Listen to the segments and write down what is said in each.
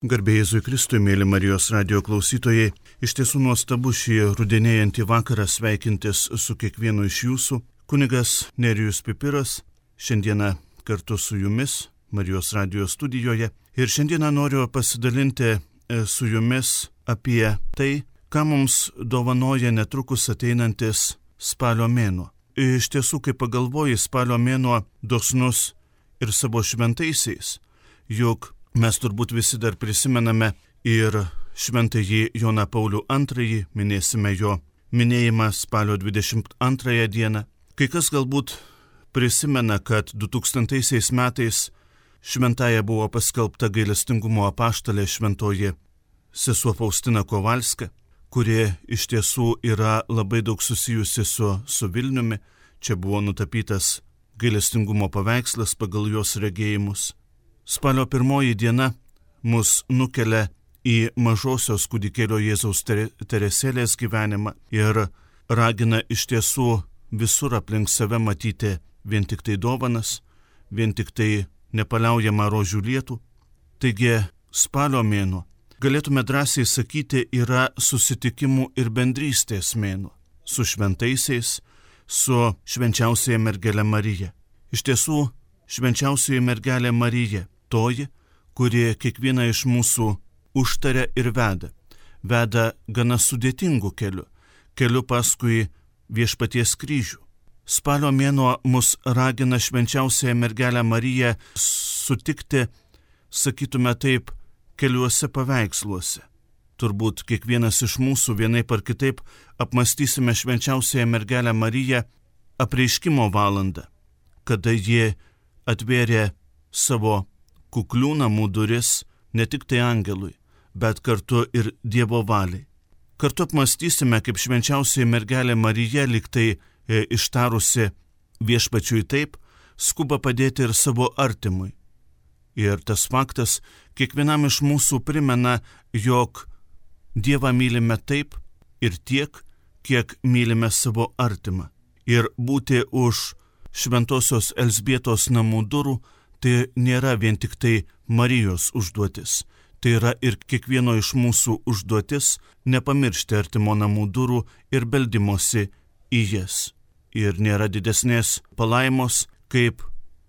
Garbė Jėzui Kristui, mėly Marijos radijo klausytojai, iš tiesų nuostabu šį rudenėjantį vakarą sveikintis su kiekvienu iš jūsų. Kunigas Nerijus Pipiras šiandieną kartu su jumis Marijos radijo studijoje ir šiandieną noriu pasidalinti su jumis apie tai, ką mums dovanoja netrukus ateinantis spalio mėnuo. Iš tiesų, kai pagalvoji, spalio mėnuo dosnus ir savo šventaisiais, juk mes turbūt visi dar prisimename ir šventąjį Joną Paulių II, minėsime jo minėjimą spalio 22 dieną. Kai kas galbūt prisimena, kad 2000 metais šventąja buvo paskelbta gailestingumo apaštalė šventoji sesuo Faustina Kovalska, kuri iš tiesų yra labai daug susijusi su Vilniumi. Čia buvo nutapytas gailestingumo paveikslas pagal jos regėjimus. Spalio 1 diena mus nukelia į mažosios kūdikėlio Jėzaus Teresėlės gyvenimą ir ragina iš tiesų visur aplink save matyti vien tik tai dovanas, vien tik tai nepaliaujamą rožių lietų. Taigi spalio mėnuo, galėtume drąsiai sakyti, yra susitikimų ir bendrystės mėnuo su šventaisiais, su švenčiausiaja mergele Marija. Iš tiesų, švenčiausioji mergelė Marija, toji, kuri kiekvieną iš mūsų užtaria ir veda gana sudėtingų keliu paskui viešpaties kryžių. Spalio mėnuo mus ragina švenčiausiąją mergelę Mariją sutikti, sakytume taip, keliuose paveiksluose. Turbūt kiekvienas iš mūsų vienaip ar kitaip apmąstysime švenčiausiąją mergelę Mariją apreiškimo valandą, kada ji atvėrė savo kuklių namų duris ne tik tai angelui, bet kartu ir Dievo valiai. Kartu apmąstysime, kaip švenčiausioji mergelė Marija, lyg tai ištarusi viešpačiui taip, skuba padėti ir savo artimui. Ir tas faktas kiekvienam iš mūsų primena, jog Dievą mylime taip ir tiek, kiek mylime savo artimą. Ir būti už šventosios Elzbietos namų durų tai nėra vien tik tai Marijos užduotis. Tai yra ir kiekvieno iš mūsų užduotis nepamiršti artimo namų durų ir beldimosi į jas. Ir nėra didesnės palaimos, kaip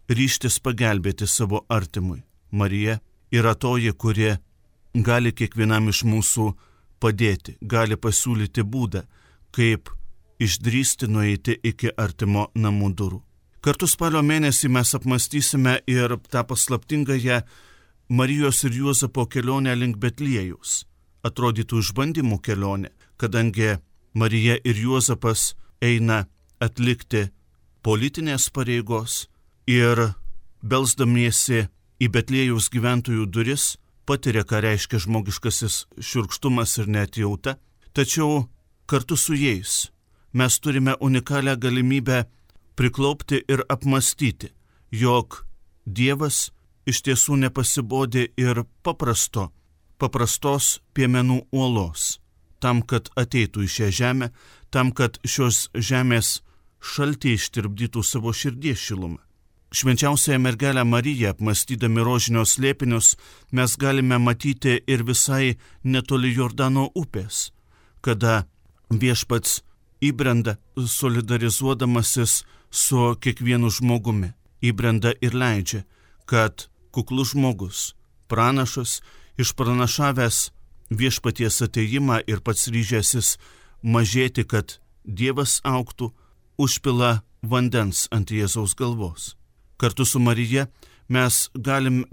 ryžtis pagelbėti savo artimui. Marija yra toji, kuri gali kiekvienam iš mūsų padėti, gali pasiūlyti būdą, kaip išdrįsti nueiti iki artimo namų durų. Kartu spalio mėnesį mes apmąstysime ir tą paslaptingąją Marijos ir Juozapo kelionę link Betliejaus. Atrodytų išbandymų kelionė, kadangi Marija ir Juozapas eina atlikti politinės pareigos ir belsdamiesi į Betliejaus gyventojų duris patiria, ką reiškia žmogiškasis šiurkštumas ir neatjauta. Tačiau kartu su jais mes turime unikalią galimybę priklaupti ir apmąstyti, jog Dievas iš tiesų nepasibodė ir paprastos piemenų uolos, tam, kad ateitų į šią žemę, tam, kad šios žemės šaltį ištirpdytų savo širdies šilumą. Švenčiausiąją mergelę Mariją, apmąstydami rožinio slėpinius, mes galime matyti ir visai netoli Jordano upės, kada viešpats įbrenda solidarizuodamasis su kiekvienu žmogumi, įbrenda ir leidžia, kad kuklus žmogus, pranašas, išpranašavęs viešpaties atėjimą ir pats ryžęsis mažėti, kad Dievas augtų, užpila vandens ant Jėzaus galvos. Kartu su Marija mes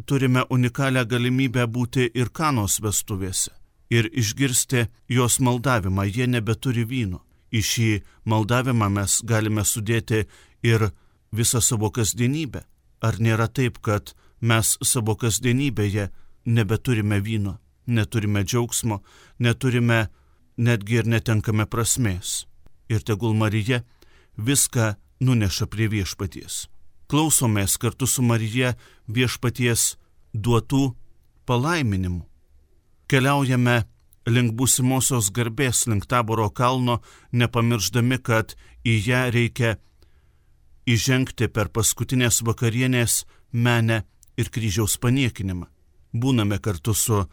turime unikalią galimybę būti ir Kanos vestuvėse ir išgirsti jos maldavimą, jie nebeturi vyno. Į šį maldavimą mes galime sudėti ir visą savo kasdienybę. Ar nėra taip, kad mes savo kasdienybėje nebeturime vyno, neturime džiaugsmo, neturime netgi ir netenkame prasmės. Ir tegul Marija viską nuneša prie viešpaties. Klausomės kartu su Marija viešpaties duotų palaiminimų. Keliaujame link būsimosios garbės, link Taboro kalno, nepamirždami, kad į ją reikia įžengti per paskutinės vakarienės menę ir kryžiaus paniekinimą. Būname kartu su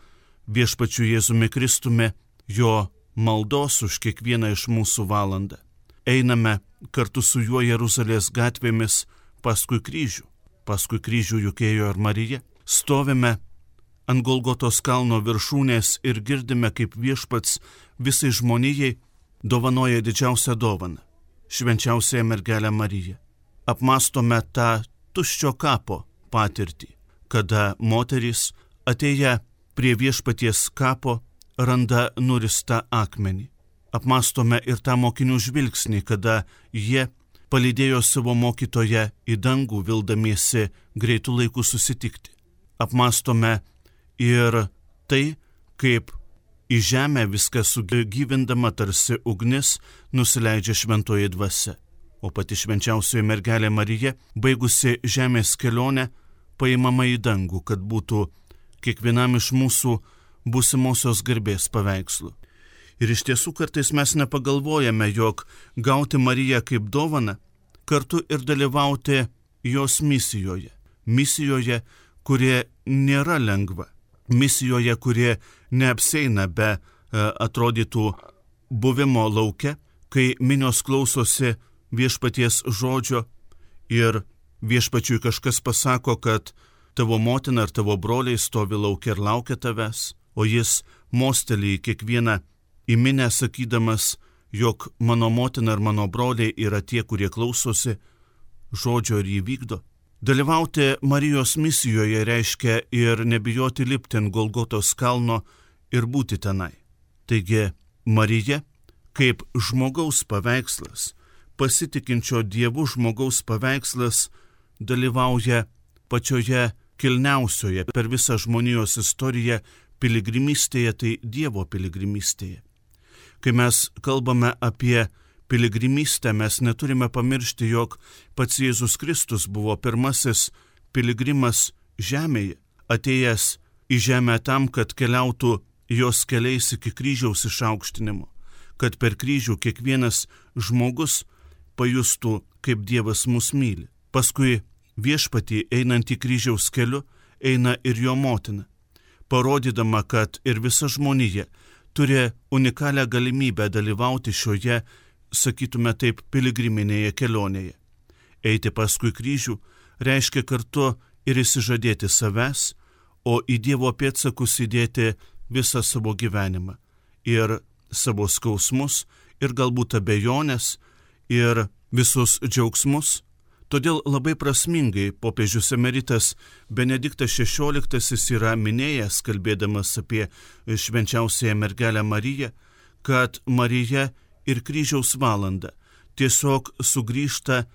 viešpačiu Jėzumi Kristumi, jo maldos už kiekvieną iš mūsų valandą. Einame kartu su juo Jeruzalės gatvėmis paskui kryžių juk ėjo ir Marija. Stovime ant Golgotos kalno viršūnės ir girdime, kaip viešpats visai žmonijai dovanoja didžiausią dovaną - švenčiausiąją mergelę Mariją. Apmastome tą tuščio kapo patirtį, kada moterys atėję prie viešpaties kapo randa nuristą akmenį. Apmastome ir tą mokinių žvilgsnį, kada jie palydėjo savo mokytoją į dangų, vildamiesi greitų laikų susitikti. Apmastome ir tai, kaip į žemę viską sugyvindama tarsi ugnis nusileidžia šventoji dvasia. O pati švenčiausioji mergelė Marija, baigusi žemės kelionę, paimama į dangų, kad būtų kiekvienam iš mūsų būsimosios garbės paveikslų. Ir iš tiesų kartais mes nepagalvojame, jog gauti Mariją kaip dovaną, kartu ir dalyvauti jos misijoje, kurie nėra lengva, misijoje, kurie neapseina be atrodytų buvimo lauke, kai minios klausosi viešpaties žodžio ir viešpačiui kažkas pasako, kad tavo motina ar tavo broliai stovi lauke ir laukia tavęs, o jis mostelį į kiekvieną į minę sakydamas, jog mano motina ir mano broliai yra tie, kurie klausosi žodžio ir jį vykdo. Dalyvauti Marijos misijoje reiškia ir nebijoti lipti ant Golgotos kalno ir būti tenai. Taigi Marija, kaip žmogaus paveikslas, pasitikinčio Dievu žmogaus paveikslas, dalyvauja pačioje kilniausioje per visą žmonijos istoriją piligrimystėje, tai Dievo piligrimystėje. Kai mes kalbame apie piligrimystę, mes neturime pamiršti, jog pats Jėzus Kristus buvo pirmasis piligrimas žemėje, atėjęs į žemę tam, kad keliautų jos keliais iki kryžiaus išaukštinimo, kad per kryžių kiekvienas žmogus pajustų, kaip Dievas mus myli. Paskui viešpatį einant į kryžiaus keliu eina ir jo motina, parodydama, kad ir visa žmonija turi unikalią galimybę dalyvauti šioje, sakytume taip, piligriminėje kelionėje. Eiti paskui kryžių reiškia kartu ir išsižadėti savęs, o į Dievo pėdsakus įdėti visą savo gyvenimą ir savo skausmus, ir galbūt abejonės, ir visus džiaugsmus. Todėl labai prasmingai popiežius emeritas Benediktas XVI yra minėjęs, kalbėdamas apie švenčiausiąją mergelę Mariją, kad Marija ir kryžiaus valanda tiesiog sugrįžta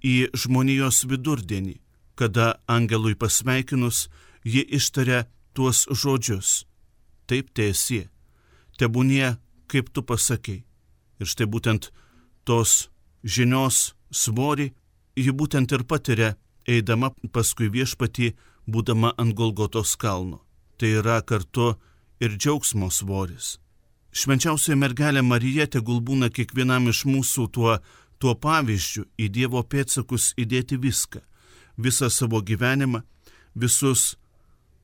į žmonijos vidurdienį, kada angelui pasveikinus ji ištaria tuos žodžius: taip teesie, tebūnie, kaip tu pasakei. Ir štai būtent tos žinios svorį ji būtent ir patiria, eidama paskui viešpatį, būdama ant Golgotos kalno. Tai yra kartu ir džiaugsmo svoris. Švenčiausioji mergelė Marija tegul būna kiekvienam iš mūsų tuo pavyzdžiu į Dievo pėdsakus įdėti visą savo gyvenimą, visus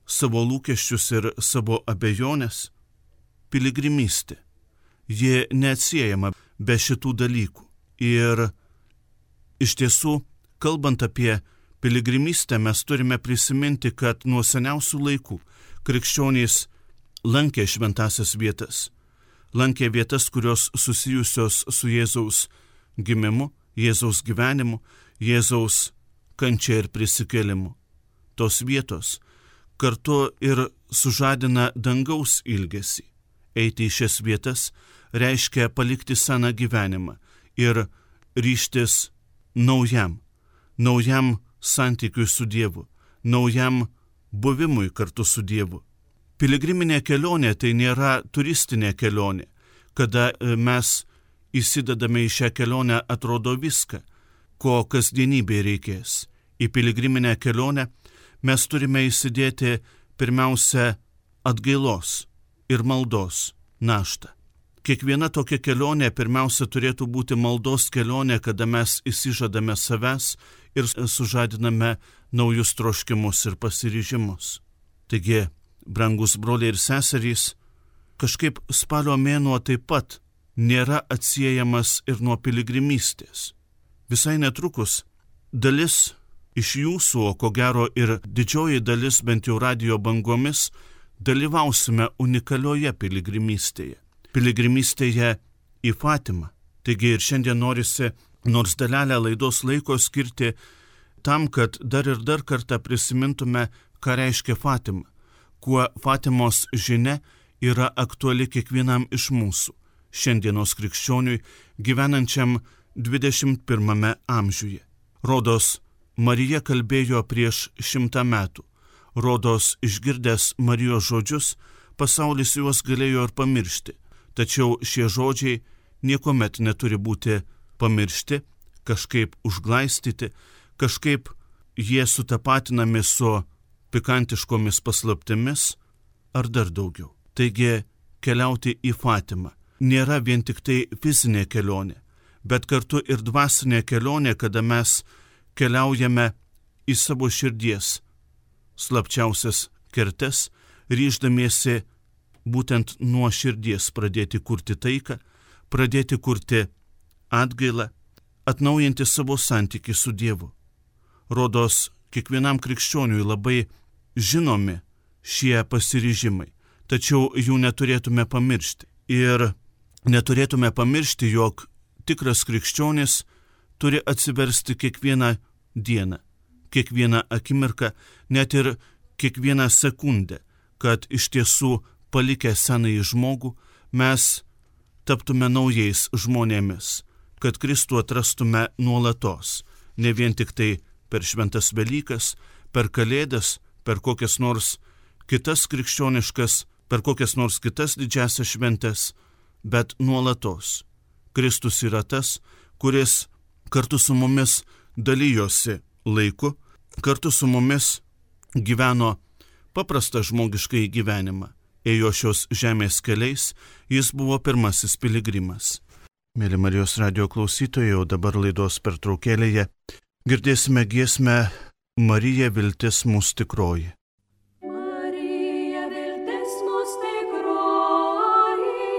savo lūkesčius ir savo abejonės. Piligrimystė, ji neatsiejama be šitų dalykų. Ir iš tiesų, kalbant apie piligrimystę, mes turime prisiminti, kad nuo seniausių laikų krikščionys lankė šventasias vietas. Lankė vietas, kurios susijusios su Jėzaus gimimu, Jėzaus gyvenimu, Jėzaus kančia ir prisikėlimu. Tos vietos kartu ir sužadina dangaus ilgesį. Eiti į šias vietas reiškia palikti seną gyvenimą ir ryžtis naujam santykiui su Dievu, naujam buvimui kartu su Dievu. Piligriminė kelionė tai nėra turistinė kelionė, kada mes įsidedame į šią kelionę atrodo viską, ko kasdienybėje reikės. Į piligriminę kelionę mes turime įsidėti pirmiausia atgailos ir maldos naštą. Kiekviena tokia kelionė pirmiausia turėtų būti maldos kelionė, kada mes įsižadame savęs ir sužadiname naujus troškimus ir pasiryžimus. Taigi brangus broliai ir seserys, kažkaip spalio mėnuo taip pat nėra atsiejamas ir nuo piligrimystės. Visai netrukus dalis iš jūsų, o ko gero ir didžioji dalis bent jau radijo bangomis, dalyvausime unikalioje piligrimystėje. Piligrimystėje į Fatimą. Taigi ir šiandien norisi nors dalelę laidos laiko skirti tam, kad dar ir dar kartą prisimintume, ką reiškia Fatima, kuo Fatimos žinia yra aktuali kiekvienam iš mūsų, šiandienos krikščioniui gyvenančiam 21 amžiuje. Rodos, Marija kalbėjo prieš 100 metų. Rodos, išgirdęs Marijos žodžius, pasaulis juos galėjo ir pamiršti. Tačiau šie žodžiai niekuomet neturi būti pamiršti, kažkaip užglaistyti, kažkaip jie sutapatinami su pikantiškomis paslaptimis ar dar daugiau. Taigi, keliauti į Fatimą nėra vien tik tai fizinė kelionė, bet kartu ir dvasinė kelionė, kada mes keliaujame į savo širdies slapčiausias kertes, ryždamiesi būtent nuo širdies pradėti kurti taiką, pradėti kurti atgailą, atnaujinti savo santykį su Dievu. Rodos, kiekvienam krikščioniui labai žinomi šie pasiryžimai, tačiau jų neturėtume pamiršti. Ir neturėtume pamiršti, jog tikras krikščionis turi atsiversti kiekvieną dieną, kiekvieną akimirką, net ir kiekvieną sekundę, kad iš tiesų palikę senąjį žmogų mes taptume naujais žmonėmis, kad Kristų atrastume nuolatos, ne vien tik tai per šventas Velykas, per Kalėdas, per kokias nors kitas krikščioniškas, per kokias nors kitas didžiasias šventes, bet nuolatos. Kristus yra tas, kuris kartu su mumis dalyjosi laiku, kartu su mumis gyveno paprastą žmogiškai gyvenimą, ėjo šios žemės keliais, jis buvo pirmasis piligrimas. Mėly Marijos radijo klausytojai, o dabar laidos pertraukėlėje girdėsime giesmę Marija viltis mūsų tikroji. Marija viltis mūsų tikroji,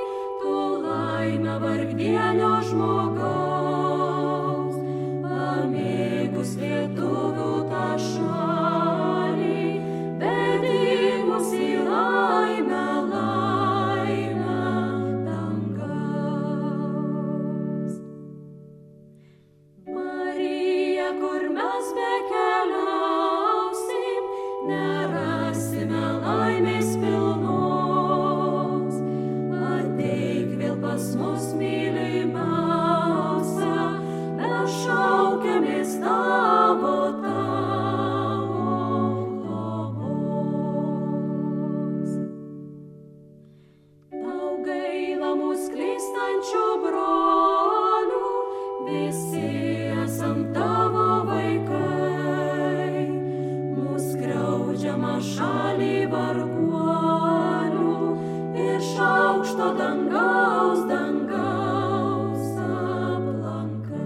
tu laimę vargdienio žmogaus, pamėgus lietuvių tą šalį, vedi mus į laimę, laimę dangaus. Marija, kur mes bekeliausim, nerasime laimės pilnos. Ateik vėl pas mus, mylimiausia, mes šaukiamės tavo globos. Tau gaila mus klystančių brolių, visi esam tavo vaikai, mus skriaudžiama šalį varguolių, iš aukšto dangaus aplankai.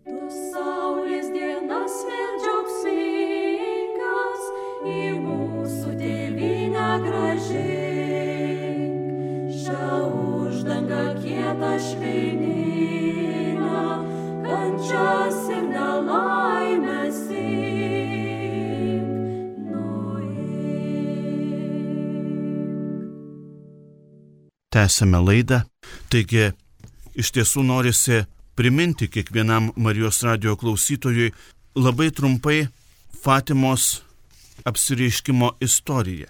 Tu saulės dienas vėl džiaugsmingas, į mūsų tėvynę grąžink, šią uždangą kietą švelninę, kančias ir nelaimės imk, nuimk. Tęsime laidą. Taigi, iš tiesų norisi priminti kiekvienam Marijos radijo klausytojui labai trumpai Fatimos apsireiškimo istoriją.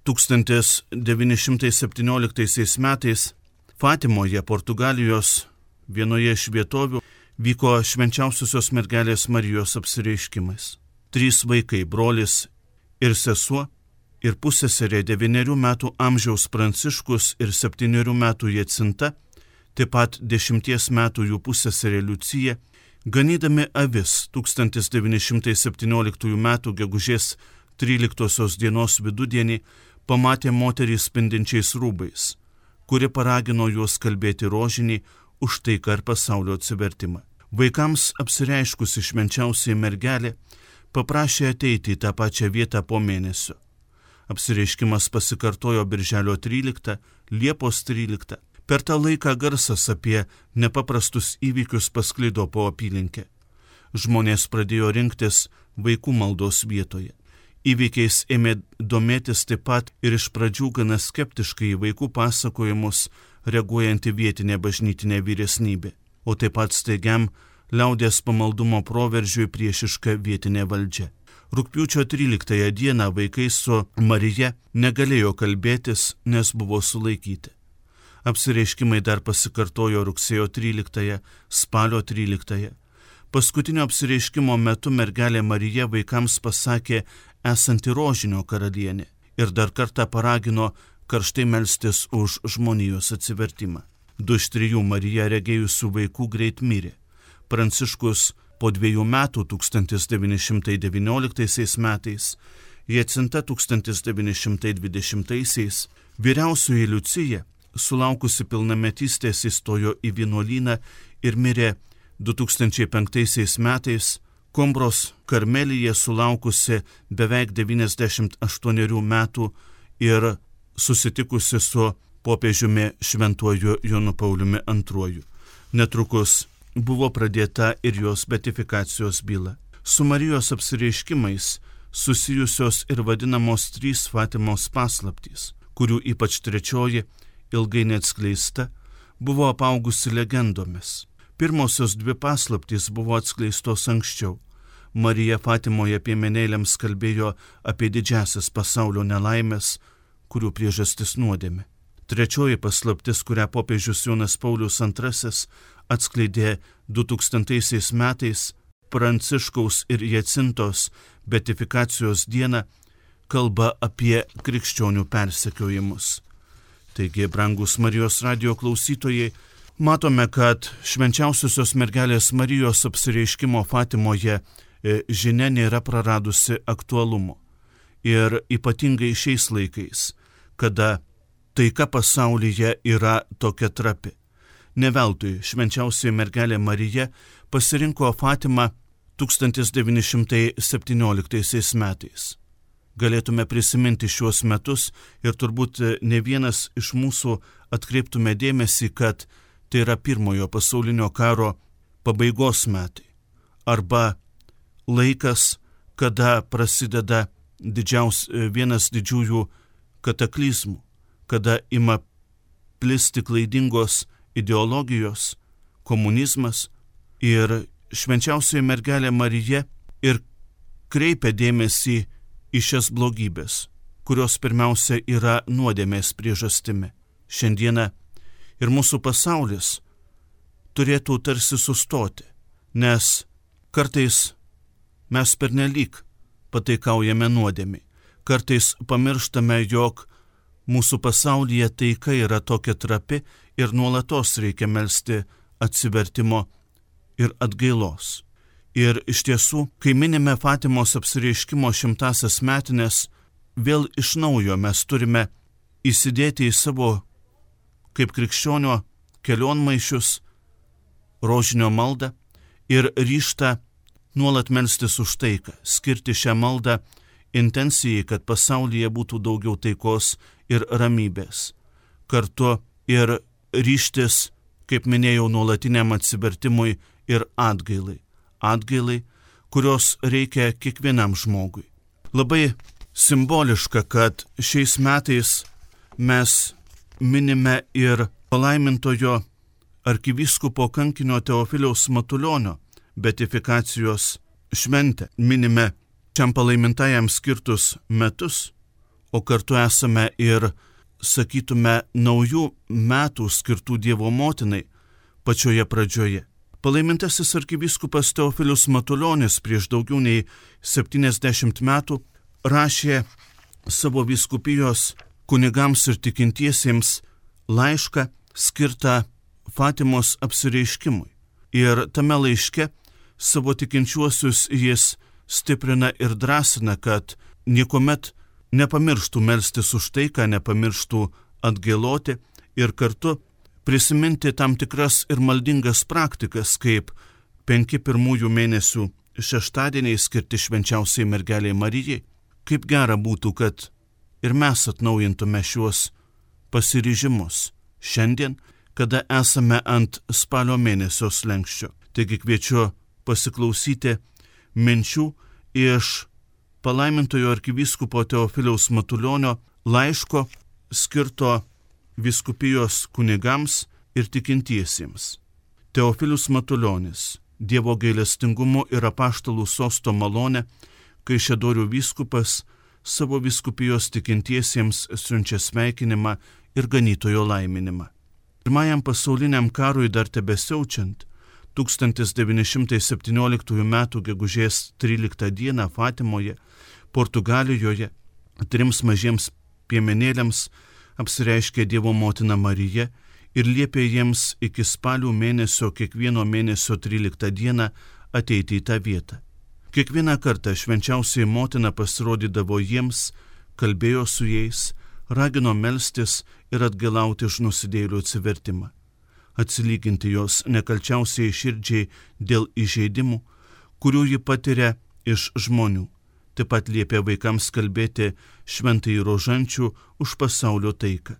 1917 metais Fatimoje, Portugalijos vienoje iš vietovių, vyko švenčiausiosios mergelės Marijos apsireiškimas. 3 vaikai, brolis ir sesuo, ir pusseserė 9 metų amžiaus Pranciškus ir 7 metų Jacinta, taip pat 10 metų jų pusseserė Liucija, ganydami avis 1917 metų gegužės 13 dienos vidudienį pamatė moterį spindinčiais rūbais, kuri paragino juos kalbėti rožinį už taiką ir pasaulio atsivertimą. Vaikams apsireiškusi švenčiausiai mergelė paprašė ateiti į tą pačią vietą po mėnesio. Apsireiškimas pasikartojo birželio 13, Liepos 13. Per tą laiką garsas apie nepaprastus įvykius pasklido po apylinkę. Žmonės pradėjo rinktis vaikų maldos vietoje. Įvykiais ėmė domėtis taip pat ir iš pradžių gana skeptiškai į vaikų pasakojimus reaguojanti vietinė bažnytinė vyresnybė, o taip pat staigiam liaudies pamaldumo proveržiui priešiška vietinė valdžia. Rugpjūčio 13 dieną vaikai su Marija negalėjo kalbėtis, nes buvo sulaikyti. Apsireiškimai dar pasikartojo rugsėjo 13, spalio 13. Paskutinio apsireiškimo metu mergelė Marija vaikams pasakė esanti rožinio karalienė ir dar kartą paragino karštai melstis už žmonijos atsivertimą. 2 iš 3 Mariją regėjusių vaikų greit mirė. Pranciškus po 2 metų 1919 metais, Jacinta 1920, vyriausioji Liucija, sulaukusi pilnametystės, įstojo į vienuolyną ir mirė 2005 metais, Kombros Karmelyje sulaukusi beveik 98 metų ir susitikusi su popiežiumi Šventuoju Jonu Pauliumi II. Netrukus buvo pradėta ir jos beatifikacijos byla. Su Marijos apsireiškimais susijusios ir vadinamos 3 Fatimos paslaptys, kurių ypač 3, ilgai neatskleista, buvo apaugusi legendomis. Pirmosios 2 paslaptys buvo atskleistos anksčiau. Marija Fatimoje piemenėliams kalbėjo apie didžiasias pasaulio nelaimės, kurių priežastis nuodėmė. 3 paslaptis, kurią popiežius Jonas Paulius II atskleidė 2000 metais, Pranciškaus ir Jacintos beatifikacijos dieną, kalba apie krikščionių persekiojimus. Taigi, brangus Marijos radijo klausytojai, matome, kad švenčiausiosios mergelės Marijos apsireiškimo Fatimoje žinia nėra praradusi aktualumo. Ir ypatingai šiais laikais, kada taika pasaulyje yra tokia trapi. Ne veltui švenčiausioji mergelė Marija pasirinko Fatimą 1917 metais. Galėtume prisiminti šiuos metus ir turbūt ne vienas iš mūsų atkreiptume dėmesį, kad tai yra Pirmojo pasaulinio karo pabaigos metai arba laikas, kada prasideda vienas didžiųjų kataklizmų, kada ima plisti klaidingos ideologijos, komunizmas ir švenčiausioji mergelė Marija ir kreipia dėmesį į šias blogybės, kurios pirmiausia yra nuodėmės priežastimi. Šiandieną ir mūsų pasaulis turėtų tarsi sustoti, nes kartais mes pernelyg pataikaujame nuodėmei. Kartais pamirštame, jog mūsų pasaulyje taika yra tokia trapi ir nuolatos reikia melsti atsivertimo ir atgailos. Ir iš tiesų, kai minime Fatimos apsireiškimo 100-asias metines, vėl iš naujo mes turime įsidėti į savo kaip krikščionio kelionmaišius rožinio maldą ir ryžtą nuolat melstis už taiką, skirti šią maldą intencijai, kad pasaulyje būtų daugiau taikos ir ramybės. Kartu ir ryžtis, kaip minėjau, nuolatiniam atsivertimui ir atgailai. Atgailai, kurios reikia kiekvienam žmogui. Labai simboliška, kad šiais metais mes minime ir palaimintojo arkivyskupo kankinio Teofiliaus Matulionio beatifikacijos šventę. Minime šiam palaimintajam skirtus metus, o kartu esame ir, sakytume, naujų metų skirtų Dievo motinai pačioje pradžioje. Palaimintasis arkivyskupas Teofilius Matulionis prieš daugiau nei 70 metų rašė savo vyskupijos kunigams ir tikintiesiems laišką skirtą Fatimos apsireiškimui. Ir tame laiške savo tikinčiuosius jis stiprina ir drąsina, kad niekuomet nepamirštų melstis už taiką, nepamirštų atgailoti ir kartu prisiminti tam tikras ir maldingas praktikas, kaip 5 pirmųjų mėnesių šeštadieniai skirti švenčiausiai mergeliai Marijai. Kaip gera būtų, kad ir mes atnaujintume šiuos pasiryžimus šiandien, kada esame ant spalio mėnesio slenksčio. Taigi kviečiu pasiklausyti minčių iš palaimintojo arkivyskupo Teofiliaus Matulionio laiško skirto vyskupijos kunigams ir tikintiesiems. Teofilius Matulionis, Dievo gailestingumu ir apaštalų sosto malone, Kaišiadorių vyskupas savo vyskupijos tikintiesiems siunčia sveikinimą ir ganytojo laiminimą. Pirmajam pasauliniam karui dar tebesiaučiant, 1917 m. gegužės 13 d. Fatimoje, Portugalijoje, 3 mažiems piemenėliams apsireiškė Dievo motina Marija ir liepė jiems iki spalio mėnesio kiekvieno mėnesio 13 d. ateiti į tą vietą. Kiekvieną kartą švenčiausiai motina pasirodydavo jiems, kalbėjo su jais, ragino melstis ir atgailauti už nusidėjėlių atsivertimą, atsilyginti jos nekalčiausiai širdžiai dėl įžeidimų, kurių ji patiria iš žmonių. Taip pat liepė vaikams kalbėti šventąjį rožančių už pasaulio taiką.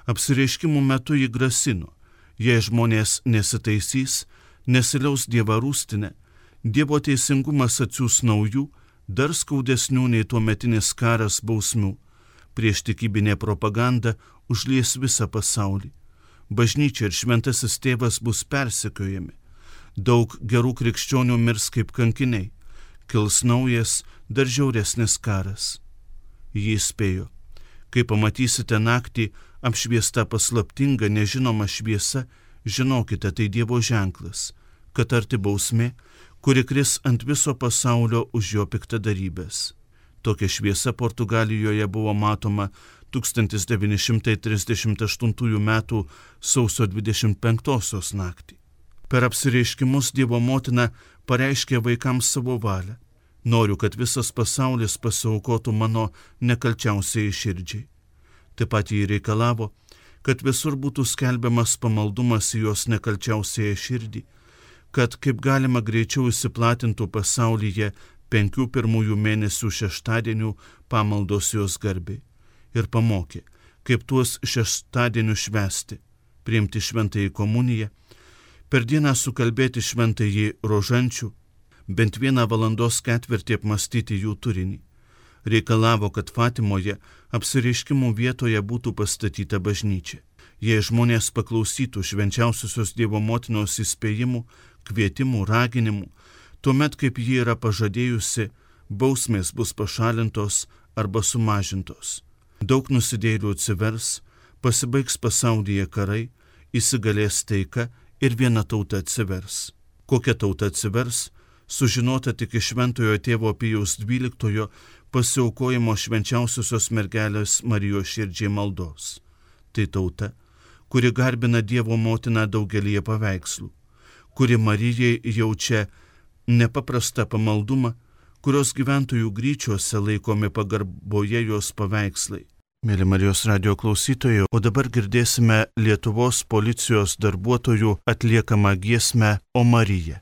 Apsireiškimų metu ji grasino, jei žmonės nesitaisys, nesiliaus Dievą rūstinę, Dievo teisingumas atsiųs naujų, dar skaudesnių nei tuometinis karas bausmių. Prieštikybinė propaganda užlies visą pasaulį. Bažnyčia ir šventasis tėvas bus persekiojami. Daug gerų krikščionių mirs kaip kankiniai. Kils naujas, dar žiauresnis karas. Jį įspėjo. Kai pamatysite naktį apšviesta paslaptinga nežinoma šviesa, žinokite, tai Dievo ženklas, kad arti bausmė, kuri kris ant viso pasaulio už jo piktadarybės. Tokia šviesa Portugalijoje buvo matoma 1938 m. sausio 25 naktį. Per apsireiškimus Dievo motina pareiškė vaikams savo valią. Noriu, kad visas pasaulis pasiaukotų mano nekalčiausiai širdžiai. Taip pat jį reikalavo, kad visur būtų skelbiamas pamaldumas į jos nekalčiausiai širdį, kad kaip galima greičiau įsiplatintų pasaulyje 5 pirmųjų mėnesių šeštadienių pamaldos jos garbei. Ir pamokė, kaip tuos šeštadienių švęsti, priimti šventąjį komuniją, per dieną sukalbėti šventąjį rožančių, bent 1 valandos ketvirtį apmastyti jų turinį. Reikalavo, kad Fatimoje apsireiškimų vietoje būtų pastatyta bažnyčia. Jei žmonės paklausytų švenčiausiosios Dievo motinos įspėjimų, kvietimų, raginimų, tuomet, kaip ji yra pažadėjusi, bausmės bus pašalintos arba sumažintos. Daug nusidėjėlių atsivers, pasibaigs pasaulyje karai, įsigalės taika ir viena tauta atsivers. Kokia tauta atsivers, sužinota tik iš šventojo tėvo Pijaus XII pasiaukojimo švenčiausiosios mergelės Marijos širdžiai maldos. Tai tauta, kuri garbina Dievo motiną daugelyje paveikslų, kuri Marijai jaučia nepaprastą pamaldumą, kurios gyventojų gryčiuose laikomi pagarboje jos paveikslai. Mėly Marijos radijo klausytojai, o dabar girdėsime Lietuvos policijos darbuotojų atliekamą giesmę O Marija.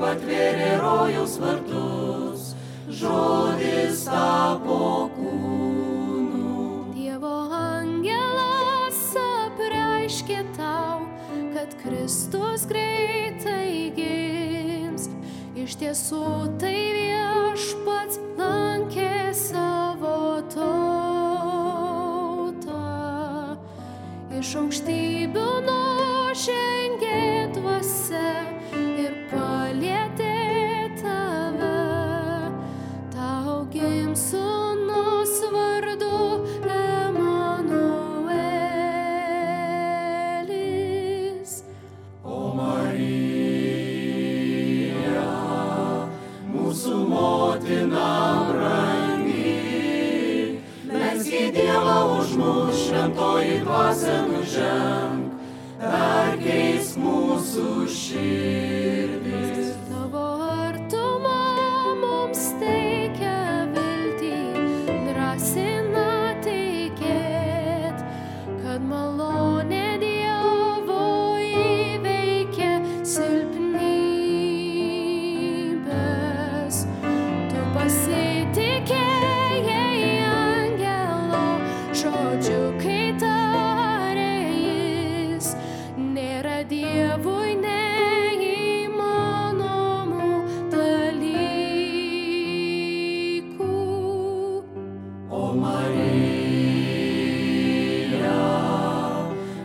Atvėrė rojaus vartus, žodis tapo kūnu. Dievo angelas apreiškė tau, kad Kristus greitai gims. Iš tiesų tai viešpats lankė savo tautą. Iš aukštybių nužengė dvasia ir palietė tave, tau gims sūnus vardu Emanuelis. O Marija, mūsų motina brangi, melski Dievą už mus, šventoji dvasia nuženk, perkeis mūsų širdis. Tavo artuma mums teikia viltį, drąsina tikėt, kad malonė Dievo įveikia silpnybės. Tu pasitikėjai angelo žodžiu, kai tarė jis, nėra Dievui neįmanomų dalykų. O Marija,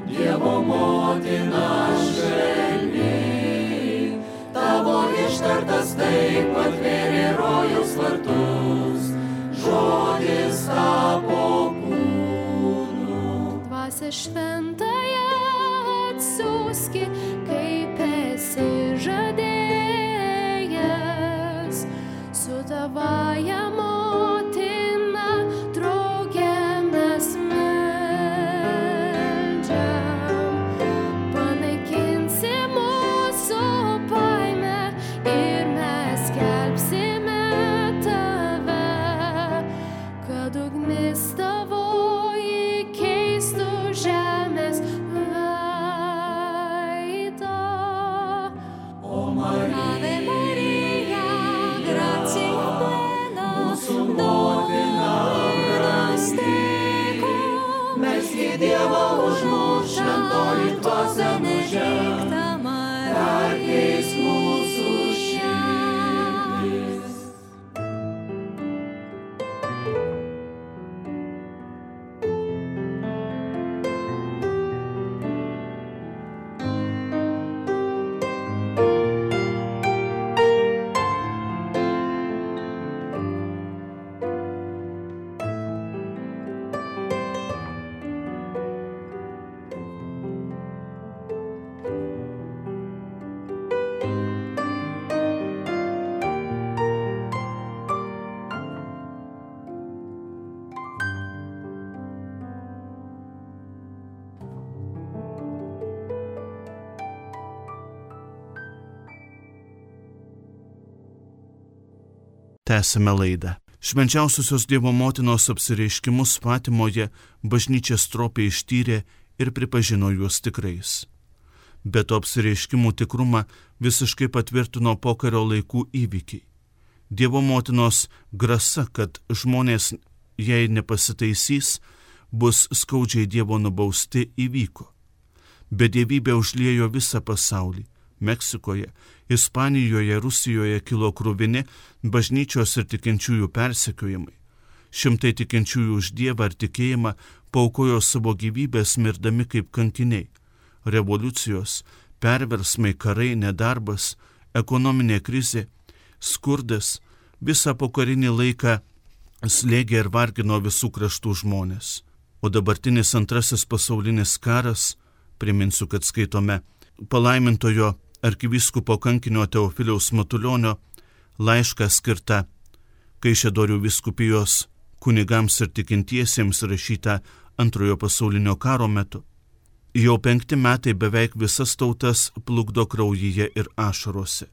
Dievo motina švelni, tavo ištartas taip atvėrė rojaus vartus, žodis tapo kūnu. Dvasia šventąją atsiųski, kaip esi žadėjęs, su tavąja motina drauge mes meldžiam. Panaikinsi mūsų baimę ir mes skelbsime tave, kad ugnis tavoji keistų žemės veidą. O Marija, gracia plena, mūsų motina brangi, melski Dievą už mus, šventoji dvasia nuženk, perkeisk mūsų širdis. Tęsime laidą. Švenčiausiosios Dievo motinos apsireiškimus Fatimoje bažnyčia stropiai ištyrė ir pripažino juos tikrais. Bet to apsireiškimų tikrumą visiškai patvirtino pokario laikų įvykiai. Dievo motinos grasa, kad žmonės, jei nepasitaisys, bus skaudžiai Dievo nubausti, įvyko. Bedievybė užliejo visą pasaulį. Meksikoje, Ispanijoje, Rusijoje kilo kruvini bažnyčios ir tikinčiųjų persekiojimai. Šimtai tikinčiųjų už Dievą ir tikėjimą paaukojo savo gyvybės mirdami kaip kankiniai. Revoliucijos, perversmai, karai, nedarbas, ekonominė krizė, skurdas visą pokarinį laiką slėgė ir vargino visų kraštų žmonės. O dabartinis antrasis pasaulinis karas, priminsiu, kad skaitome palaimintojo arkivyskupo kankinio Teofiliaus Matulionio laišką skirtą Kaišiadorių vyskupijos kunigams ir tikintiesiems rašytą Antrojo pasaulinio karo metu. Jau 5 metai beveik visas tautas plukdo kraujyje ir ašarose.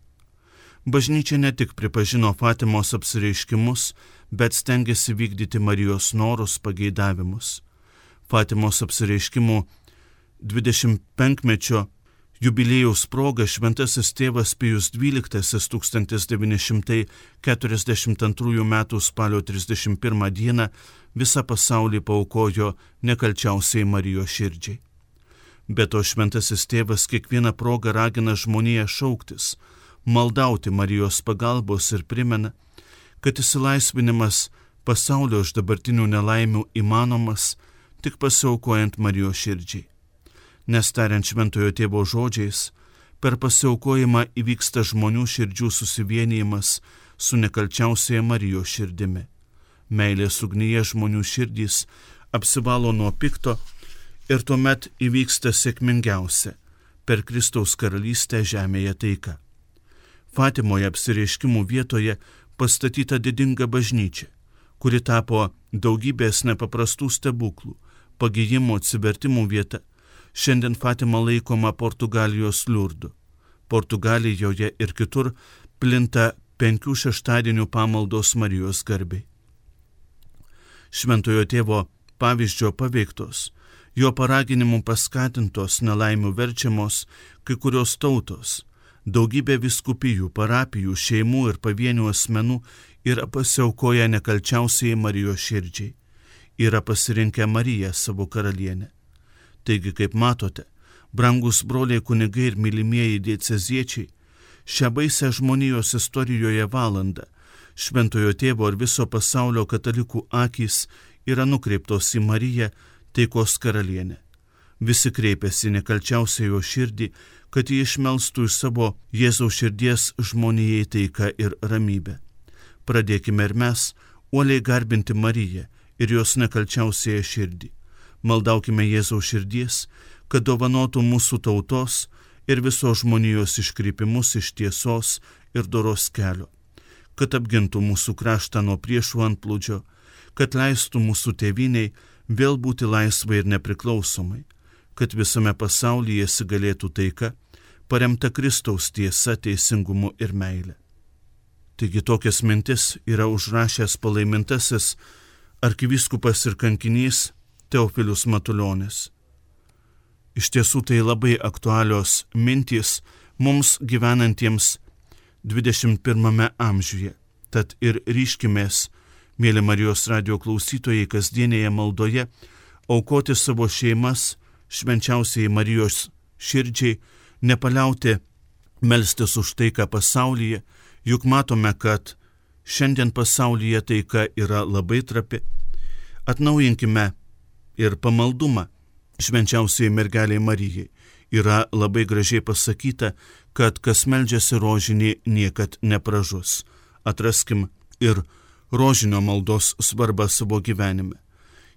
Bažnyčia ne tik pripažino Fatimos apsireiškimus, bet stengiasi vykdyti Marijos norus, pageidavimus. Fatimos apsireiškimų 25-mečio jubiliejaus proga šventasis tėvas Pijus XII 1942 m. spalio 31 d. visą pasaulį paaukojo nekalčiausiai Marijos širdžiai. Be to šventasis tėvas kiekvieną progą ragina žmoniją šauktis, maldauti Marijos pagalbos ir primena, kad išsilaisvinimas pasaulio iš dabartinių nelaimių įmanomas tik pasiaukojant Marijos širdžiai. Nes tariant šventojo tėvo žodžiais, per pasiaukojimą įvyksta žmonių širdžių susivienijimas su nekalčiausiaja Marijos širdimi. Meilės ugnyje žmonių širdys apsivalo nuo pikto ir tuomet įvyksta sėkmingiausia per Kristaus karalystę žemėje taika. Fatimoje apsireiškimų vietoje pastatyta didinga bažnyčia, kuri tapo daugybės nepaprastų stebuklų, pagijimo, atsivertimų vieta. Šiandien Fatima laikoma Portugalijos Liurdu. Portugalijoje ir kitur plinta 5 šeštadienių pamaldos Marijos garbei. Šventojo tėvo pavyzdžio paveiktos, jo paraginimų paskatintos nelaimių verčiamos kai kurios tautos, daugybė vyskupijų, parapijų, šeimų ir pavienių asmenų yra pasiaukoję nekalčiausiai Marijos širdžiai, yra pasirinkę Mariją savo karalienę. Taigi, kaip matote, brangus broliai kunigai ir mylimieji dieceziečiai, šią baisę žmonijos istorijoje valandą Šventojo tėvo ir viso pasaulio katalikų akys yra nukreiptos į Mariją, taikos karalienę. Visi kreipiasi nekalčiausiai jo širdį, kad jį išmelstų iš savo Jėzaus širdies žmonijai taiką ir ramybę. Pradėkime ir mes uoliai garbinti Mariją ir jos nekalčiausiąją širdį. Maldaukime Jėzaus širdies, kad dovanotų mūsų tautos ir visos žmonijos iškrypimus iš tiesos ir doros kelio, kad apgintų mūsų kraštą nuo priešų antplūdžio, kad leistų mūsų tėvyniai vėl būti laisvai ir nepriklausomai, kad visame pasaulyje įsigalėtų taika, paremta Kristaus tiesa, teisingumu ir meile. Taigi tokias mintis yra užrašęs palaimintasis arkivyskupas ir kankinys Teofilius Matulionis. Iš tiesų tai labai aktualios mintys mums gyvenantiems 21 amžiuje. Tad ir ryškimės, mėly Marijos radijo klausytojai, kasdienėje maldoje aukoti savo šeimas švenčiausiai Marijos širdžiai, nepaliauti melstis už taiką pasaulyje, juk matome, kad šiandien pasaulyje taika yra labai trapi. Atnaujinkime ir pamaldumą švenčiausiai mergeliai Marijai. Yra labai gražiai pasakyta, kad kas meldžiasi rožinį niekad nepražus. Atraskim ir rožinio maldos svarbą savo gyvenime.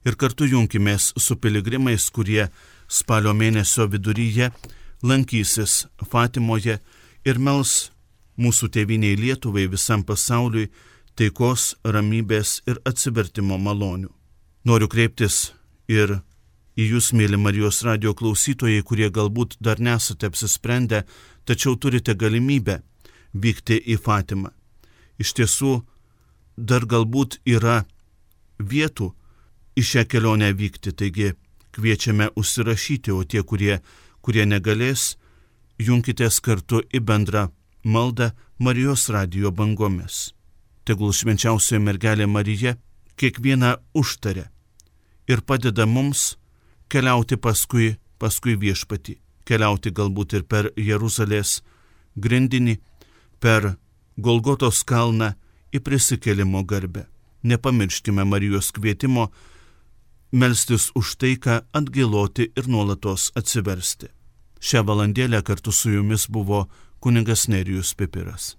Ir kartu junkimės su piligrimais, kurie spalio mėnesio viduryje lankysis Fatimoje ir mels mūsų tėviniai Lietuvai, visam pasauliui taikos, ramybės ir atsivertimo malonių. Noriu kreiptis ir į jūs, mėly Marijos radijo klausytojai, kurie galbūt dar nesate apsisprendę, tačiau turite galimybę vykti į Fatimą. Iš tiesų, dar galbūt yra vietų į šią kelionę vykti, taigi kviečiame užsirašyti, o tie, kurie negalės, junkitės kartu į bendrą maldą Marijos radijo bangomis. Tegul švenčiausioji mergelė Marija kiekvieną užtaria ir padeda mums keliauti paskui viešpatį, keliauti galbūt ir per Jeruzalės grindinį, per Golgotos kalną į prisikėlimo garbę. Nepamirškime Marijos kvietimo melstis už taiką, atgailoti ir nuolatos atsiversti. Šią valandėlę kartu su jumis buvo kunigas Nerijus Pipiras.